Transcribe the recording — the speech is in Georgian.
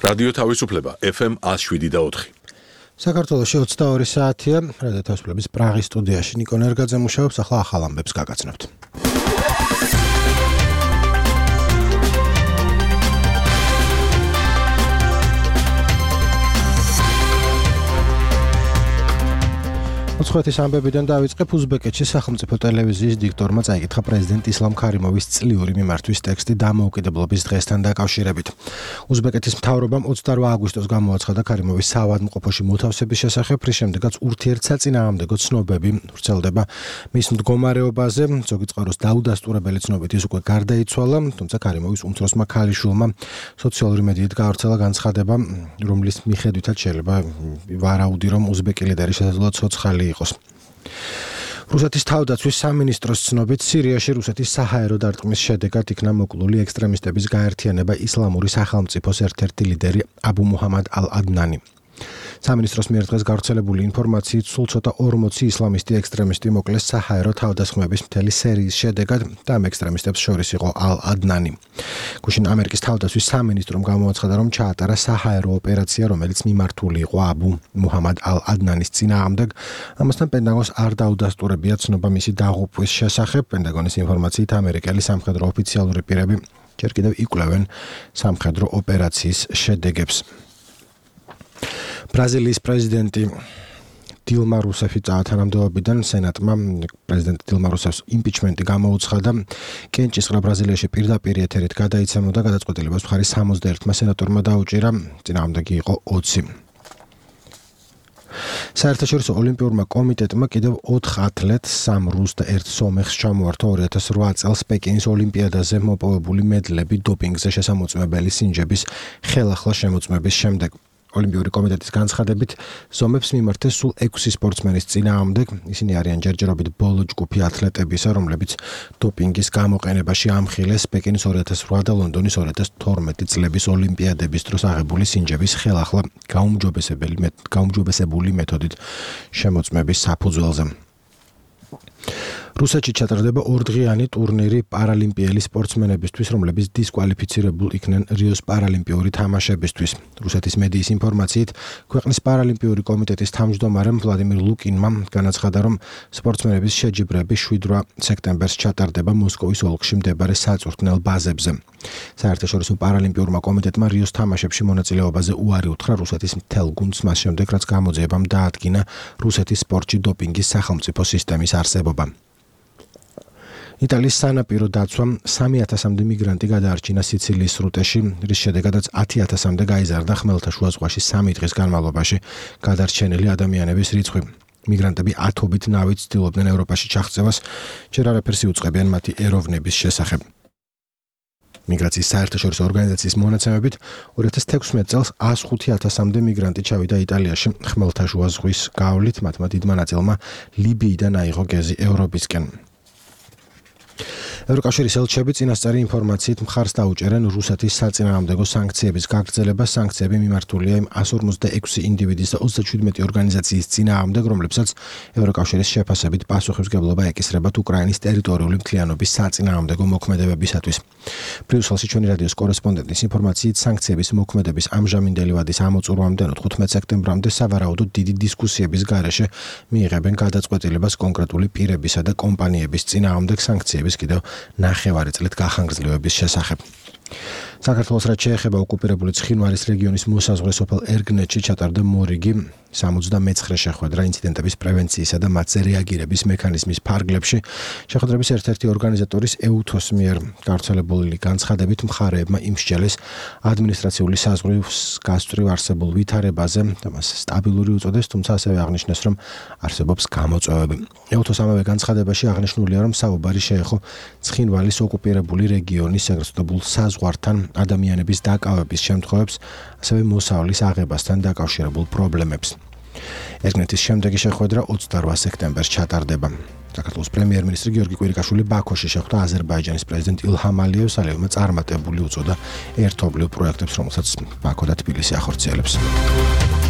რადიო თავისუფლება FM 107.4. საქართველოში 22 საათია. რადიო თავისუფლების პრაღის სტუდიაში ნიკო ნერგაძე მუშაობს. ახლა ახალ ამბებს გაგაცნობთ. უცხოეთის ამბებიდან დავიწყებ. უზბეკეთში სახელმწიფო ტელევიზიის დიქტორმა წაიკითხა პრეზიდენტ ისლამ ქარიმოვის წლიური მიმართვის ტექსტი დამოუკიდებლობის დღესთან დაკავშირებით. უზბეკეთის მთავრობამ 28 აგვისტოს გამოაცხადა ქარიმოვის საავადმყოფოში მოთავსების შესახებ, რის შემდეგაც ურთიერთსაწინააღმდეგო ცნობები ვრცელდება მის მდგომარეობაზე. ზოგი წყაროს დაუდასტურებელი ცნობით ის უკვე გარდაიცვალა, თუმცა ქარიმოვის უმცროსმა ქალიშვილმა სოციალური მედიით გაავრცელა განცხადება, რომლის მიხედვითაც შეიძლება ვარაუდი, რომ უზბეკი ლიდერი შესაძლოა ცოცხალი იყოს. რუსეთის თავდაცვის სამინისტროს ცნობით, სირიაში რუსეთის საჰაერო დარტყმის შედეგად იქნა მოკლული ექსტრემისტების გაერთიანება ისლამური სახელმწიფოს ერთ-ერთი ლიდერი აბუ მუჰამად ალ-ადნანი. სამინისტროს მიერ დღეს გავრცელებული ინფორმაციით სულ ცოტა 40 ისლამისტი ექსტრემისტი მოკლეს საჰაერო თავდასხმების მთელი სერიის შედეგად და ამ ექსტრემისტებს შორის იყო ალ-ადნანი. გუშინ ამერიკის თავდაცვის სამინისტრომ გამოაცხადა, რომ ჩაატარა საჰაერო ოპერაცია, რომელიც მიმართული იყო აბუ მუჰამად ალ-ადნანის წინააღმდეგ. ამასთან პენტაგონს არ დაუდასტურებია ცნობა მისი დაღუპვის შესახებ. პენტაგონის ინფორმაციით ამერიკელი სამხედრო ოფიციალური პირები ჯერ კიდევ იკვლევენ სამხედრო ოპერაციის შედეგებს. ბრაზილიის პრეზიდენტი დილმა რუსეფი თანამდებობიდან სენატმა პრეზიდენტ დილმა რუსეფს იმპიჩმენტი გამოუცხადა. კენჭისყრა ბრაზილიაში პირდაპირ ეთერით გადაიცემოდა, გადაწყვეტილებას მხარი 61-მა სენატორმა დაუჭირა, წინააღმდეგი იყო 20. საერთაშორისო ოლიმპიურმა კომიტეტმა კიდევ 4 ათლეტს, 3 რუს და 1 სომეხს ჩამოართვა 2008 წელს პეკინის ოლიმპიადაზე მოპოვებული მედლები დოპინგზე შესამოწმებელი სინჯების ხელახლა შემოწმების შემდეგ. ოლიმპიური კომიტეტის განცხადებით, ზომებს მიმართეს სულ 6 სპორტსმენის წინააღმდეგ. ისინი არიან ჯერჯერობით ბოლო ჯგუფი ათლეტებისა, რომლებიც დოპინგის გამოყენებაში ამხილეს პეკინის 2008 და ლონდონის 2012 წლების ოლიმპიადების დროს აღებული სინჯების ხელახლა გაუმჯობესებული მეთოდით შემოწმების საფუძველზე. რუსეთში ჩატარდება 2დღიანი ტურნირი პარალიმპიელი სპორტსმენებისთვის, რომლებიც დისკვალიფიცირებულ იქნენ რიოს პარალიმპიური თამაშებისთვის. რუსეთის მედიის ინფორმაციით, ქვეყნის პარალიმპიური კომიტეტის თავმჯდომარემ ვლადიმირ ლუკინმა განაცხადა, რომ სპორტსმენების შეჯიბრები 7 სექტემბერს ჩატარდება მოსკოვის ოლქში მდებარე საწვრთნელ ბაზებზე. საერთაშორისო პარალიმპიურმა კომიტეტმა რიოს თამაშებში მონაწილეობაზე უარი უთხრა რუსეთის მთელ გუნდს მას შემდეგ, რაც გამოძიებამ დაადგინა რუსეთის სპორტში დოპინგის სახელმწიფო სისტემის არსებობა. იტალიის სანაპირო დაცვამ 3000-მდე მიგრანტი გადაარჩინა სიცილიის სრუტეში, რის შედეგადაც 10000-მდე გაიზარდა ხმელთაშუა ზღვაში 3 დღის განმავლობაში გადარჩენილი ადამიანების რიცხვი. მიგრანტები ათობით ნავით ცდილობდნენ ევროპაში ჩაღწევას, ჯერ არაფერს იუწყებიან მათი ეროვნების შესახებ. მიგრაციის საერთაშორისო ორგანიზაციის მონაცემებით 2016 წელს 105000-მდე მიგრანტი ჩავიდა იტალიაში ხმელთაშუა ზღვის გავლით, მათმა დიდმა ნაწილმა ლიბიიდან აიღო გეზი ევროპისკენ. ევროკავშირის ელჩები წინასწარი ინფორმაციით მხარს დაუჭერენ რუსეთის საწინააღმდეგო სანქციების გაგრძელებას. სანქციები მიმართულია იმ 156 ინდივიდის და 37 ორგანიზაციის წინააღმდეგ, რომლებსაც ევროკავშირის შეფასებით პასუხისმგებლობა ეკისრებათ უკრაინის ტერიტორიული მთლიანობის საწინააღმდეგო მოქმედებებისათვის. ბრიუსელში ჩვენი რადიოს კორესპონდენტის ინფორმაციით, სანქციების მოქმედების ამჟამინდელი ვადის ამოწურვამდე 15 სექტემბრამდე სავარაუდოდ დიდი დისკუსიების გარეშე მიიღებენ გადაწყვეტილებას კონკრეტული პირებისა და კომპანიების წინააღმდეგ სანქციების კიდევ 9 წლით გახანგრძლივების შესახებ. საქართველოს რაც შეეხება ოკუპირებული ცხინვალის რეგიონის მოსაზღვრე სოფელ ერგნეთში ჩატარდა მორიგი 79 შეხვედრა ინციდენტების პრევენციისა და მათზე რეაგირების მექანიზმის ფარგლებში. შეხვედრების ერთ-ერთი ორგანიზატორის ეუთოს მიერ გავრცელებული განცხადებით მხარეებმა იმსჯელეს ადმინისტრაციული საზღვრის გასწვრივ არსებულ ვითარებაზე და მას სტაბილური უწოდეს, თუმცა ასევე აღნიშნეს, რომ არსებობს გამოწვევები. ეუთოს ამავე განცხადებაში აღნიშნულია, რომ საუბარი შეეხო ცხინვალის ოკუპირებული რეგიონის ეგრეთწოდებულ საზღვართან ადამიანების დაკავების შემთხვევებს, ასევე მოსავლის აღებასთან დაკავშირებულ პრობლემებს. ერგნეთის შემდეგი შეხვედრა 28 სექტემბერს ჩატარდება. საქართველოს პრემიერ-მინისტრი გიორგი კვირიკაშვილი ბაქოში შეხვდა აზერბაიჯანის პრეზიდენტ ილჰამ ალიევს, ალიევმა წარმატებული უწოდა ერთობლივ პროექტებს, რომელსაც ბაქო და თბილისი ახორციელებს.